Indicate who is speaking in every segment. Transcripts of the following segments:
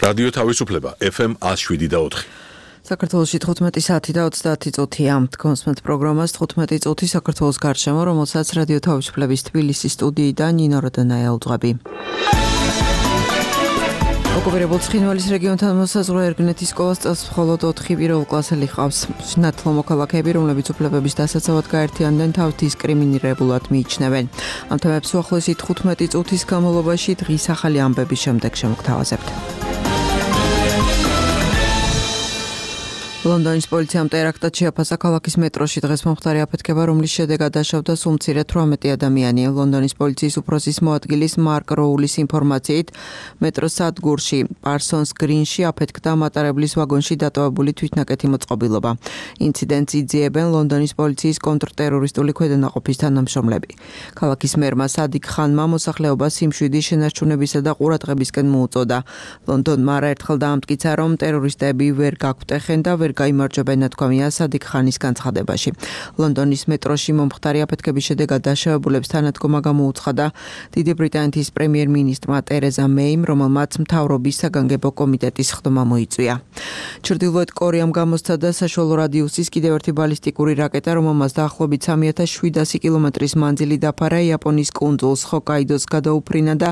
Speaker 1: რადიო თავისუფლება FM 107.4.
Speaker 2: საქართველოში 15 საათი და 30 წუთია. კონსმეთ პროგრამას 15 წუთი საქართველოს გარშემო, რომელსაც რადიო თავისუფლების თბილისის სტუდიიდან ნინო როდანაია უძღვები. ოკუპირებულ ცხინვალის რეგიონთან მოსაზღვრე ერგნეთის სკოლას წელს მხოლოდ 4 პირველ კლასელი ჰყავს. სინათლო მოქალაქეები, რომლებიც უფლებების დასაცავად გაერთიანდნენ, თავთ დისკრიმინირებულად მიიჩნევენ. ამ თემებს უახლოესი 15 წუთის განმავლობაში დღის ახალი ამბების შემდეგ შემოგთავაზებთ. ლონდონის პოლიციამ ტერაქტად შეაფასა ქალაქის მეტროში დღეს მომხდარი აფეთქება, რომლის შედეგად დაშავდა სულ მცირე 18 ადამიანი. ლონდონის პოლიციის უფროსის მოადგილის მარკ როულის ინფორმაციით, მეტროს სადგურში პარსონს გრინში აფეთქდა მატარებლის ვაგონში დატოვებული თვითნაკეთი მოწყობილობა. ინციდენტს იძიებენ ლონდონის პოლიციის კონტრტერორისტული ქვედანაყოფის თანამშრომლები. ქალაქის მერმა სადიკ ხანმა მოსახლეობას სიმშვიდის შენარჩუნებისა და ყურადღებისკენ მოუწოდა. ლონდონმა არაერთხელ დაამტკიცა, რომ ტერორისტები ვერ გაგვტეხენ და ვერ გაიმარჯვებენ ნათქვამია სადიკ ხანის განცხადებაში. ლონდონის მეტროში მომხდარი აფეთქების შედეგად დაშავებულებს თანადგომა გამოუცხადა დიდი ბრიტანეთის პრემიერ-მინისტრმა ტერეზა მეიმ, რომელმაც მთავრობის საგანგებო კომიტეტის ხდომა მოიწვია. ჩრდილოეთ კორეამ გამოსცადა საშუალო რადიუსის კიდევ ერთი ბალისტიკური რაკეტა, რომელმაც დაახლოებით 3700 კილომეტრის მანძილი დაფარა იაპონიის კუნძულს ჰოკაიდოს გადაუფრინა და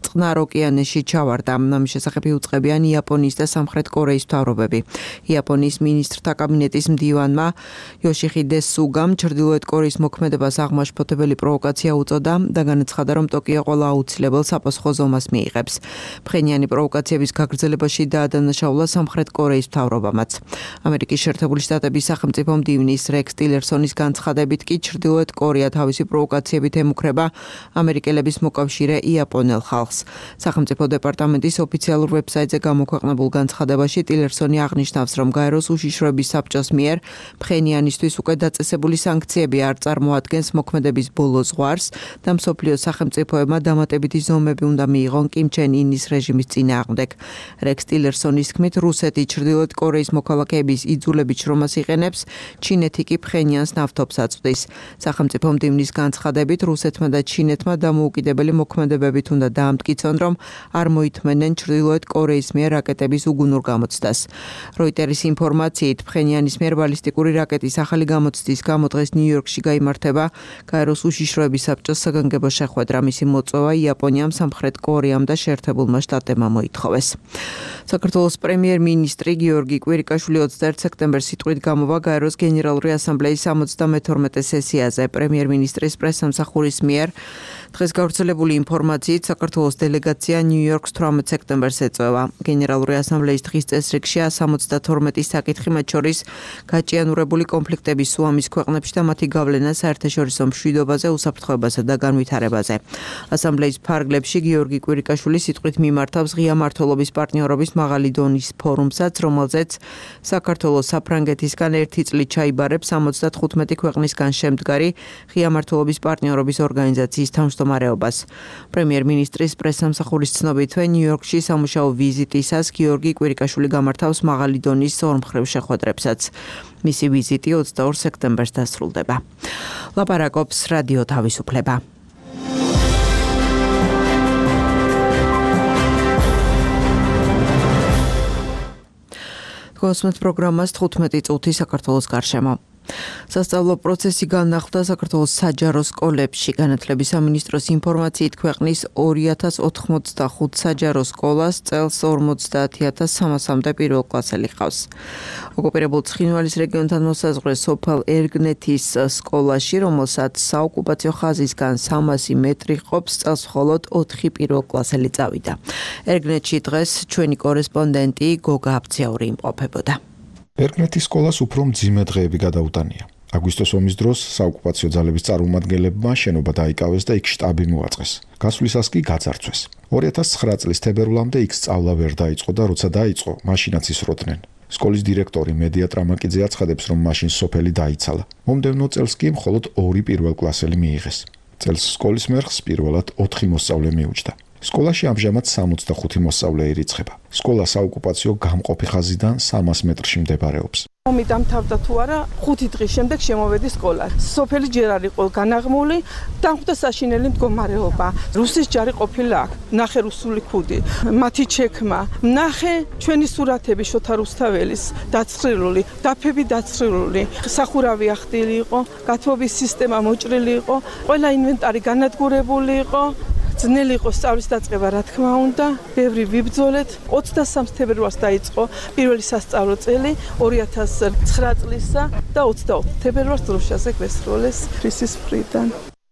Speaker 2: წყნარ ოკეანეში ჩავარდა. ამის შესახებ იუწყებიან იაპონიის და სამხრეთ კორეის მთავრობები. იაპონიის მინისტრთა კაბინეტის მდივანმა იოშიხიდე სუგამ ჩრდილოეთ კორეის მოქმედებას აღმაშფოთებელი პროვოკაცია უწოდა და განაცხადა, რომ ტოკიო ყველა აუცილებელ საპასუხო ზომას მიიღებს. ფხენიანი პროვოკაციების გაგრძელებაში დაადანაშაულა სამხრეთ კორეის მთავრობამაც. ამერიკის შეერთებული შტატების სახელმწიფო მდივნის რექს ტილერსონის განცხადებით კი ჩრდილოეთ კორეა თავისი პროვოკაციებით ემუქრება ამერიკელების მოკავშირე იაპონელ ხალხს. სახელმწიფო დეპარტამენტის ოფიციალურ ვებსაიტზე გამოქვეყნებულ განცხადებაში ტილერსონი აღნიშნავს, რომ გაეროს უშიშროების საბჭოს მიერ ფხენიანისთვის უკვე დაწესებული სანქციები არ წარმოადგენს მოქმედების ბოლო ზღვარს და მსოფლიოს სახელმწიფოებმა დამატებითი ზომები უნდა მიიღონ კიმ ჩენ ინის რეჟიმის წინააღმდეგ. რექს ტილერსონის თქმით, რუსეთი ჩრდილოეთ კორეის მოქალაქეების იძულებით შრომას იყენებს, ჩინეთი კი ფხენიანს ნავთობს აწვდის. სახელმწიფო მდივნის განცხადებით, რუსეთმა და ჩინეთმა დამოუკიდებელი მოქმედებებით უნდა დაამტკიცონ, რომ არ მოითმენენ ჩრდილოეთ კორეის მიერ რაკეტების უგუნურ გამოცდას. როიტერის ინფორმაციით, ფხენიანის მიერ ბალისტიკური რაკეტის ახალი გამოცდის გამო დღეს ნიუ-იორკში გაიმართება გაეროს უშიშროების საბჭოს საგანგებო შეხვედრა. მისი მოწვევა იაპონიამ, სამხრეთ კორეამ და შეერთებულმა შტატებმა მოითხოვეს. საქართველოს პრემიერ-მინისტრი გიორგი კვირიკაშვილი 21 სექტემბერს სიტყვით გამოვა გაეროს გენერალური ასამბლეის 72 სესიაზე. პრემიერ-მინისტრის პრესსამსახურის მიერ დღეს გავრცელებული ინფორმაციით, საქართველოს დელეგაცია ნიუ-იორკს 18 სექტემბერს ეწევა. გენერალური ასამბლეის დღის წესრიგში 72 საკითხი, მათ შორის გაჭიანურებული კონფლიქტების სუამის ქვეყნებში და მათი გავლენა საერთაშორისო მშვიდობაზე, უსაფრთხოებასა და განვითარებაზე. ასამბლეის ფარგლებში გიორგი კვირიკაშვილი სიტყვით მიმართავს ღია მმართველობის პარტნიორობის მაღალი დონის ფორუმსაც, რომელზეც საქართველოს საფრანგეთისგან ერთი წლით ჩაიბარებს 75 ქვეყნისგან შემდგარი ღია მმართველობის პარტნიორობის ორგანიზაციის თავმჯდომარეობას. პრემიერ-მინისტრის პრესსამსახურის ცნობით, ნიუ-იორკში სამუშაო ვიზიტისას გიორგი კვირიკაშვილი გამართავს მაღალი დონის ორმხრივ შეხვედრებსაც. მისი ვიზიტი 22 სექტემბერს დასრულდება. ლაპარაკობს რადიო თავისუფლება. კონსმეთ პროგრამას 15 წუთი საქართველოს გარშემო. სასწავლო პროცესი განახლდა საქართველოს საჯარო სკოლებში. განათლების სამინისტროს ინფორმაციით, ქვეყნის 2085 საჯარო სკოლას წელს 50300-მდე პირველ კლასელი ჰყავს. ოკუპირებულ ცხინვალის რეგიონთან მოსაზღვრე სოფელ ერგნეთის სკოლაში, რომელსაც საოკუპაციო ხაზისგან 300 მეტრი ყოფს, წელს მხოლოდ 4 პირველ კლასელი წავიდა. ერგნეთში დღეს ჩვენი კორესპონდენტი გოგა აბციური იმყოფებოდა.
Speaker 3: ერგნეთის სკოლას უფრო მძიმე დღეები გადაუტანია. აგვისტოს ომის დროს საოკუპაციო ძალების წარმომადგენლებმა შენობა დაიკავეს და იქ შტაბი მოაწყეს. გასვლისას კი გაძარცვეს. 2009 წლის თებერვლამდე იქ სწავლა ვერ დაიწყო და როცა დაიწყო, მაშინაც ისროდნენ. სკოლის დირექტორი მედია ტრამაკიძე აცხადებს, რომ მაშინ სოფელი დაიცალა. მომდევნო წელს კი მხოლოდ 2 პირველ კლასელი მიიღეს. წელს სკოლის მერხს პირველად 4 მოსწავლე მიუჯდა. სკოლაში ამჟამად 65 მოსწავლე ირიცხება. სკოლა საოკუპაციო გამყოფი ხაზიდან 300 მეტრში მდებარეობს.
Speaker 4: ომი დამთავრდა თუ არა, 5 დღის შემდეგ შემოვედი სკოლა. სოფელი ჯერ არ იყო განაღმული, დამხვდა საშინელი მდგომარეობა. რუსის ჯარი ყოფილა აქ, ნახე რუსული ქუდი, მათი ჩექმა, ნახე ჩვენი სურათები შოთა რუსთაველის დაცხრილული, დაფები დაცხრილული, სახურავი ახდილი იყო, გათბობის სისტემა მოჭრილი იყო, ყველა ინვენტარი განადგურებული იყო. ძნელი იყო სწავლის დაწყება, რა თქმა უნდა, ბევრი ვიბრძოლეთ. 23 თებერვალს დაიწყო პირველი სასწავლო წელი 2009 წლისა და 24 თებერვალს დროშაზე გვესროლეს ფრისის მხრიდან.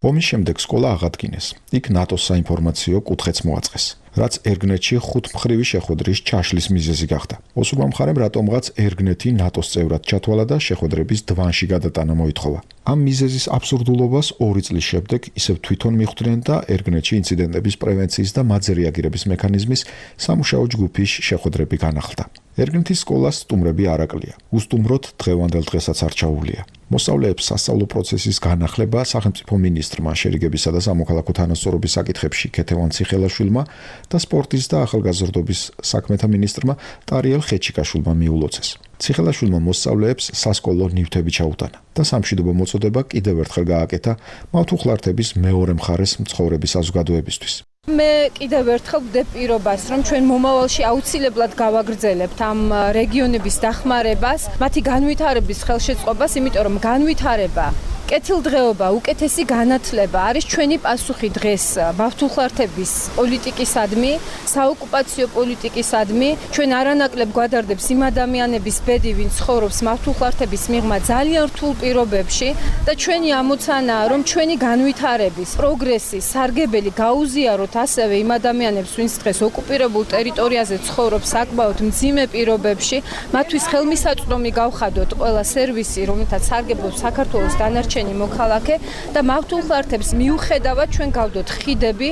Speaker 3: ომის შემდეგ სკოლა აღადგინეს. იქ ნატოს საინფორმაციო კუთხეც მოაწყეს, რაც ერგნეთში 5 მხრივი შეხვედრის ჩაშლის მიზეზი გახდა. ოსურმა მხარემ რატომღაც ერგნეთი ნატოს წევრად ჩათვალა და შეხვედრების დვანში გადატანა მოითხოვა. ამ მიზეზის აბსურდულობას 2 წლის შემდეგ ისევ თვითონ მიხვდნენ და ერგნეთში ინციდენტების პრევენციის და მათზე რეაგირების მექანიზმის სამუშაო ჯგუფის შეხვედრები განახლდა. ერგნეთის სკოლას სტუმრები არ აკლია. უსტუმროდ დღევანდელ დღესაც არჩაულია. მოსწავლეებს სასწავლო პროცესის განახლება სახელმწიფო მინისტრმა შერიგებისა და სამოქალაქო თანასწორობის საკითხებში ქეთევან ციხელაშვილმა და სპორტის და ახალგაზრდობის საქმეთა მინისტრმა ტარიელ ხეჩიკაშვილმა მიულოცეს. ციხელაშვილმა მოსწავლეებს სასკოლო ნივთები ჩაუტანა და სამშვიდობო მოწოდება კიდევ ერთხელ გააკეთა მავთუხლართების მეორე მხარეს მცხოვრების საზოგადოებისთვის.
Speaker 5: მე კიდევ ერთხელ ვდებ პირობას, რომ ჩვენ მომავალში აუცილებლად გავაგრძელებთ ამ რეგიონების დახმარებას, მათი განვითარების ხელშეწყობას, იმიტომ რომ განვითარება, კეთილდღეობა, უკეთესი განათლება არის ჩვენი პასუხი დღეს მავთუხლართების პოლიტიკისადმი, საოკუპაციო პოლიტიკისადმი. ჩვენ არანაკლებ გვადარდებს იმ ადამიანების ბედი, ვინც ცხოვრობს მავთუხლართების მიღმა ძალიან რთულ პირობებში და ჩვენი ამოცანაა, რომ ჩვენი განვითარების, პროგრესის სარგებელი გაუზიაროთ ასევე იმ ადამიანებს, ვინც დღეს ოკუპირებულ ტერიტორიაზე ცხოვრობს საკმაოდ მძიმე პირობებში, მათთვის ხელმისაწვდომი გავხადოთ ყველა სერვისი, რომელთაც სარგებლობს საქართველოს დანარჩენი მოქალაქე და მავთუხლართებს მიუხედავად ჩვენ გავდოთ ხიდები,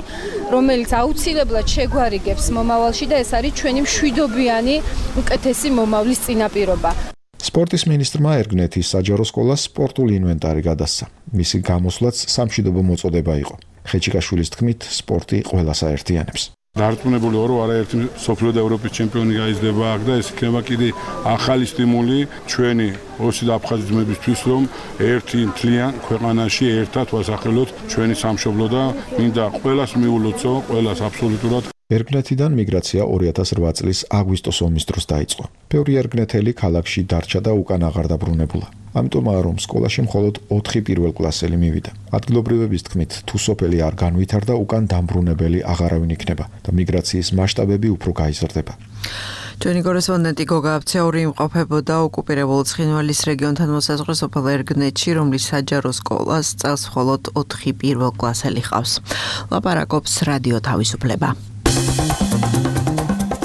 Speaker 5: რომელიც აუცილებლად შეგვარიგებს მომავალში და ეს არის ჩვენი მშვიდობიანი უკეთესი მომავლის წინაპირობა.
Speaker 3: სპორტის მინისტრმა ერგნეთის საჯარო სკოლას სპორტული ინვენტარი გადასცა. მისი გამოსვლაც სამშვიდობო მოწოდება იყო. ხეჩიკაშვილის თქმით, სპორტი ყველას აერთიანებს.
Speaker 6: დარწმუნებული ვარ, რომ არაერთი სოფლიო და ევროპის ჩემპიონი გაიზრდება აქ და ეს იქნება კიდე ახალი სტიმული ჩვენი ოსი და აფხაზი ძმებისთვის, რომ ერთი მთლიან ქვეყანაში ერთად ვასახელოთ ჩვენი სამშობლო და მინდა ყველას მიულოცო, ყველას აბსოლუტურად.
Speaker 3: ერგნეთიდან მიგრაცია 2008 წლის აგვისტოს ომის დროს დაიწყო. ბევრი ერგნეთელი ქალაქში დარჩა და უკან აღარ დაბრუნებულა. ამიტომაა, რომ სკოლაში მხოლოდ 4 პირველკლასელი მივიდა. ადგილობრივების თქმით, თუ სოფელი არ განვითარდა, უკან დამბრუნებელი აღარავინ იქნება და მიგრაციის მასშტაბები უფრო გაიზრდება.
Speaker 2: ჩვენი კორესპონდენტი გოგა აბცეური იმყოფებოდა ოკუპირებულ ცხინვალის რეგიონთან მოსაზღვრე სოფელ ერგნეთში, რომლის საჯარო სკოლას წელს მხოლოდ 4 პირველკლასელი ჰყავს. ლაპარაკობს რადიო თავისუფლება.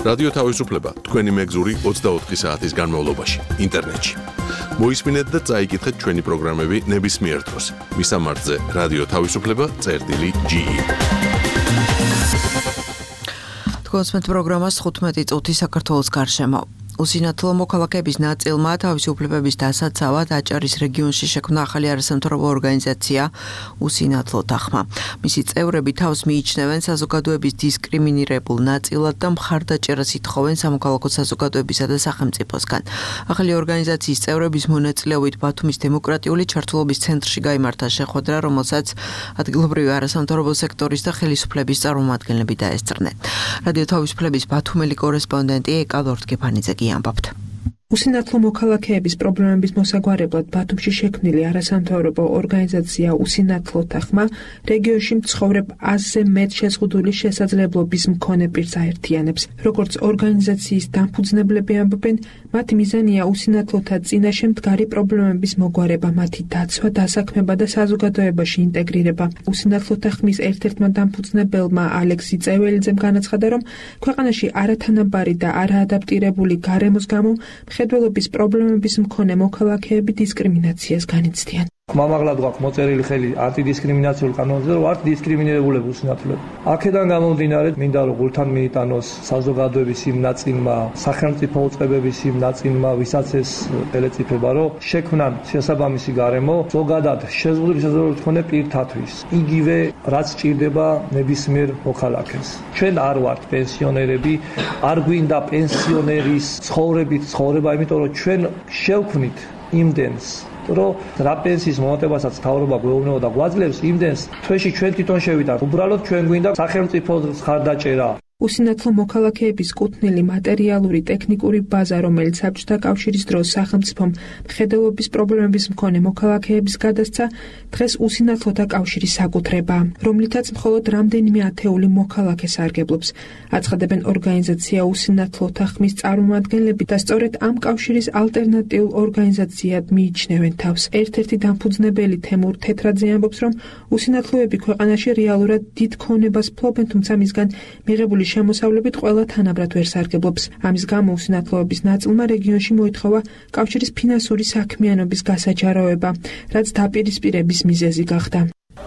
Speaker 1: რადიო თავისუფლება თქვენი მეგზური 24 საათის განმავლობაში ინტერნეტში. მოისმინეთ და წაიკითხეთ ჩვენი პროგრამები ნებისმიერ დროს. მისამართზე რადიო თავისუფლება.ge.
Speaker 2: თქვენს პროგრამას 15 წუთი საქართველოს გარშემო. უსინათლო მოქალაქეების ნაწილმა თავისუფლებების დასაცავად აჭარის რეგიონში შექმნა ახალი არასამთავრობო ორგანიზაცია უსინათლო თანხმა. მისი წევრები თავს მიიჩნევენ საზოგადოების დისკრიმინირებულ ნაწილად და მხარდაჭერას ითხოვენ სამოქალაქო საზოგადოებისა და სახელმწიფოსგან. ახალი ორგანიზაციის წევრების მონაწილეობით ბათუმის დემოკრატიული ჩართულობის ცენტრში გაიმართა შეხვედრა, რომელსაც ადგილობრივი არასამთავრობო სექტორის და ხელისუფლების წარმომადგენლები დაესწრნენ. რადიო თავისუფლების ბათუმელი კორესპონდენტი ეკა ლორთგეფანიძე ამბობთ.
Speaker 7: უსინათლო მოქალაქეების პრობლემების მოსაგვარებლად ბათუმში შექმნილი არასამთავრობო ორგანიზაცია უსინათლო თანხმა რეგიონში მცხოვრებ 100-ზე მეტ შეზღუდული შესაძლებლობის მქონე პირს აერთიანებს. როგორც ორგანიზაციის დამფუძნებლები ამბობენ, მათი მიზანია უსინათლოთა წინაშე მდგარი პრობლემების მოგვარება, მათი დაცვა, დასაქმება და საზოგადოებაში ინტეგრირება. უსინათლო თანხმის ერთ-ერთმა დამფუძნებელმა ალექსი წეველიძემ განაცხადა, რომ ქვეყანაში არათანაბარი და არაადაპტირებული გარემოს გამო მხედველობის პრობლემების მქონე მოქალაქეები დისკრიმინაციას განიცდიან.
Speaker 8: მამაღლად გვაქვს მოწერილი ხელი ანტიდისკრიმინაციულ კანონზე, რომ ვართ დისკრიმინირებულები უსინათლოები. აქედან გამომდინარე, მინდა რომ გულთან მიიტანოს საზოგადოების იმ ნაწილმა, სახელმწიფო უწყებების იმ ნაწილმა, ვისაც ეს ელეწიფება, რომ შექმნან შესაბამისი გარემო, ზოგადად შეზღუდული შესაძლებლობით მქონე პირთათვის. იგივე რაც ჭირდება ნებისმიერ მოქალაქეს. ჩვენ არ ვართ პენსიონერები, არ გვინდა პენსიონერის ცხოვრება, იმიტომ რომ ჩვენ შევქმნით იმდენს რომ რა პენსიის მომატებასაც თავრობა გვეუბნება და გვაძლევს იმდენს თვეში ჩვენ თვითონ შევიდართ. უბრალოდ ჩვენ გვინდა სახელმწიფოს ხარდაჭერა.
Speaker 7: უსინათლო მოქალაქეების კუთვნილი მატერიალური ტექნიკური ბაზა, რომელიც საბჭოთა კავშირის დროს სახელმწიფომ მხედველობის პრობლემების მქონე მოქალაქეების გადასცა, დღეს უსინათლოთა კავშირის საკუთრებაა, რომლითაც მხოლოდ რამდენიმე ათეული მოქალაქე სარგებლობს. აცხადებენ ორგანიზაცია უსინათლოთა ხმის წარმომადგენლები და სწორედ ამ კავშირის ალტერნატიულ ორგანიზაციად მიიჩნევენ თავს. ერთ-ერთი დამფუძნებელი თემურ თეთრაძე ამბობს, რომ უსინათლოები ქვეყანაში რეალურად დიდ ქონებას ფლობენ, თუმცა მისგან მიღებული შემოსავლებით ყველა თანაბრად ვერ სარგებლობს. ამის გამო უსინათლოების ნაწილმა რეგიონში მოითხოვა კავშირის ფინანსური საქმიანობის გასაჯაროება, რაც დაპირისპირების მიზეზი გახდა.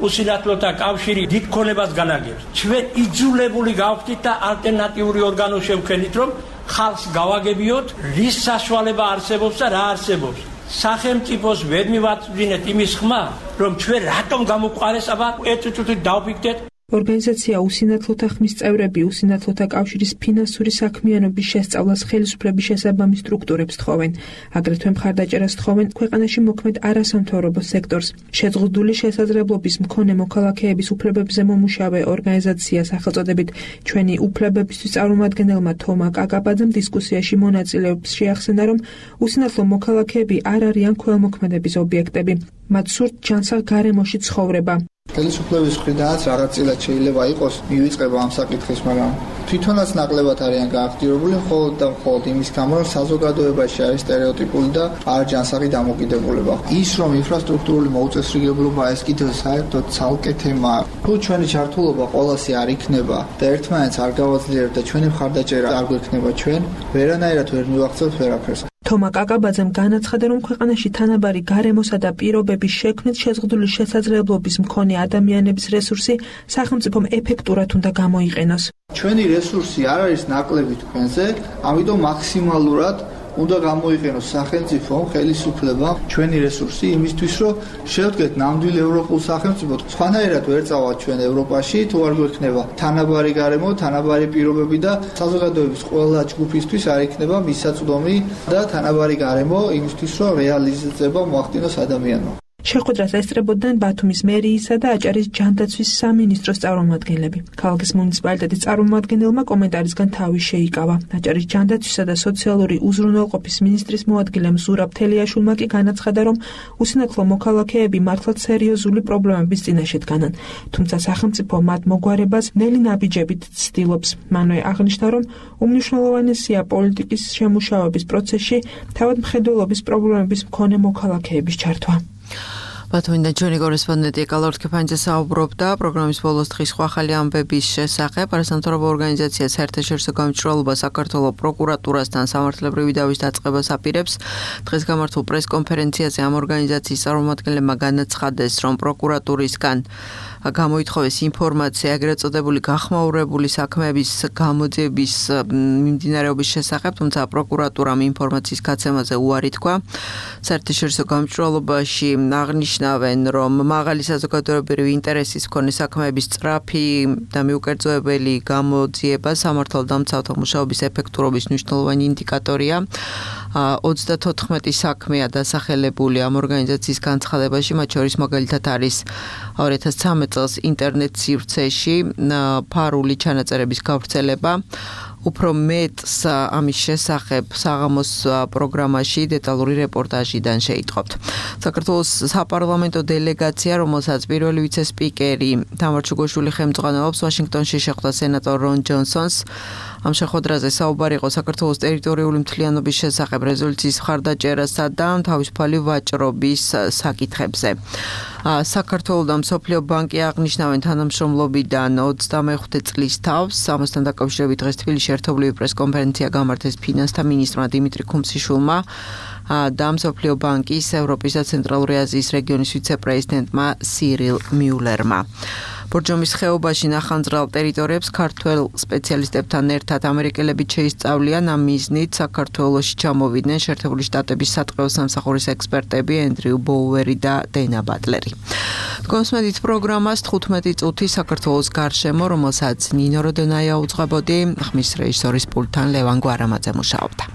Speaker 9: უსინათლოთა კავშირი დიდ ქონებას განაგებს. ჩვენ იძულებული გავხდით და ალტერნატიული ორგანო შევქმნით, რომ ხალხს გავაგებიოთ, რის საშუალება არსებობს და რა არსებობს. სახელმწიფოს ვერ მივაწვდინეთ იმის ხმა, რომ ჩვენ რატომ გამოგვყარეს, აბა ერთ წუთით დავფიქრდეთ.
Speaker 7: ორგანიზაცია უსინათლოთა ხმის წევრები უსინათლოთა კავშირის ფინანსური საქმიანობის შესწავლას ხელისუფლების შესაბამის სტრუქტურებს თხოვენ. აგრეთვე მხარდაჭერას თხოვენ ქვეყანაში მოქმედ არასამთავრობო სექტორს. შეზღუდული შესაძლებლობის მქონე მოქალაქეების უფლებებზე მომუშავე ორგანიზაცია სახელწოდებით ჩვენი უფლებებისთვის წარმომადგენელმა თომა კაკაბაძემ დისკუსიაში მონაწილეებს შეახსენა, რომ უსინათლო მოქალაქეები არ არიან ქველმოქმედების ობიექტები. მათ სურთ ჯანსაღ გარემოში ცხოვრება.
Speaker 10: ხელისუფლების მხრიდანაც რაღაცილად შეიძლება იყოს მივიწყება ამ საკითხის, მაგრამ თვითონაც ნაკლებად არიან გააქტიურებული მხოლოდ და მხოლოდ იმის გამო, რომ საზოგადოებაში არის სტერეოტიპული და არ ჯანსაღი დამოკიდებულება. ის რომ ინფრასტრუქტურული მოუწესრიგებლობა ეს კიდევ საერთოდ ცალკე თემაა. თუ ჩვენი ჩართულობა ყოველასი არ იქნება და ერთმანეთს არ გავაძლიერებთ და ჩვენი მხარდაჭერა არ გვექნება ჩვენ, ვერანაირად ვერ მივახცევთ ვერაფერს.
Speaker 7: თომა კაკაბაძემ განაცხადა, რომ ქვეყანაში თანაბარი გარემოსა და პირობების შექმნით შეზღუდული შესაძლებლობის მქონე ადამიანების რესურსი სახელმწიფომ ეფექტურად უნდა გამოიყენოს.
Speaker 10: ჩვენი რესურსი არ არის ნაკლები თქვენზე, ამიტომ მაქსიმალურად უნდა გამოიყენოს სახელმწიფომ, ხელისუფლებამ ჩვენი რესურსი იმისთვის, რომ შევდგეთ ნამდვილ ევროპულ სახელმწიფოდ. სხვანაირად ვერ წავალთ ჩვენ ევროპაში, თუ არ გვექნება თანაბარი გარემო, თანაბარი პირობები და საზოგადოების ყველა ჯგუფისთვის არ იქნება მისაწვდომი და თანაბარი გარემო იმისთვის, რომ რეალიზება მოახდინოს ადამიანმა.
Speaker 7: შეხვედრას ესწრებოდნენ ბათუმის მერიისა და აჭარის ჯანდაცვის სამინისტროს წარმომადგენლები. ქალაქის მუნიციპალიტეტის წარმომადგენელმა კომენტარისგან თავი შეიკავა. აჭარის ჯანდაცვისა და სოციალური უზრუნველყოფის მინისტრის მოადგილემ ზურაბ თელიაშვილმა კი განაცხადა, რომ უსინათლო მოქალაქეები მართლაც სერიოზული პრობლემების წინაშე დგანან. თუმცა სახელმწიფო მათ მოგვარებას ნელი ნაბიჯებით ცდილობს. მანვე აღნიშნა, რომ უმნიშვნელოვანესია პოლიტიკის შემუშავების პროცესში თავად მხედველობის პრობლემების მქონე მოქალაქეების ჩართვა.
Speaker 2: ბათუმიდან ჩვენი კორესპონდენტი ეკალორ თქეფანიძე საუბრობდა პროგრამის ბოლოს დღის ახალი ამბების შესახებ. არასამთავრობო ორგანიზაცია საერთაშორისო გამჭვირვალობა საქართველოს პროკურატურასთან სამართლებრივი დავის დაწყებას აპირებს. დღეს გამართულ პრესკონფერენციაზე ამ ორგანიზაციის წარმომადგენლებმა განაცხადეს, რომ პროკურატურისგან გამოითხოვეს ინფორმაცია ეგრეთ წოდებული გახმაურებული საქმეების გამოძიების მიმდინარეობის შესახებ, თუმცა პროკურატურამ ინფორმაციის გაცემაზე უარი თქვა. საერთაშორისო გამჭვირვალობაში აღნიშნავენ, რომ მაღალი საზოგადოებრივი ინტერესის მქონე საქმეების სწრაფი და მიუკერძოებელი გამოძიება სამართალდამცავთა მუშაობის ეფექტურობის მნიშვნელოვანი ინდიკატორია. 34 საქმეა დასახელებული ამ ორგანიზაციის განცხადებაში, მათ შორის მაგალითად არის 2013 წელს ინტერნეტ სივრცეში ფარული ჩანაწერების გავრცელება. უფრო მეტს ამის შესახებ საღამოს პროგრამაში დეტალური რეპორტაჟიდან შეიტყობთ. საქართველოს საპარლამენტო დელეგაცია, რომელსაც პირველი ვიცე-სპიკერი თამარ ჩუგოშვილი ხელმძღვანელობს, ვაშინგტონში შეხვდა სენატორ რონ ჯონსონს. ამ შეხვედრაზე საუბარი იყო საქართველოს ტერიტორიული მთლიანობის შესახებ რეზოლუციის მხარდაჭერასა და თავისუფალი ვაჭრობის საკითხებზე. საქართველოს და მსოფლიო ბანკი აღნიშნავენ თანამშრომლობიდან 25 წლის თავს. ამასთან დაკავშირებით დღეს თბილისში ერთობლივი პრესკონფერენცია გამართეს ფინანსთა მინისტრმა დიმიტრი ქუმსიშვილმა და მსოფლიო ბანკის ევროპის და ცენტრალური აზიის რეგიონის ვიცე-პრეზიდენტმა სირილ მიულერმა. ბორჯომის ხეობაში ნახანძრალ ტერიტორიებს ქართველ სპეციალისტებთან ერთად ამერიკელები შეისწავლიან ამ მიზნით საქართველოში ჩამოვიდნენ შეერთებული შტატების სატყეო სამსახურის ექსპერტები ენდრიუ ბოუერი და დენა ბატლერი. კონსმედით პროგრამას 15 წუთი საქართველოს გარშემო, რომელსაც ნინო როდონაია უძღვებოდი, ხმის რეჟისორის პულტთან ლევან გვარამაძე მუშაობდა.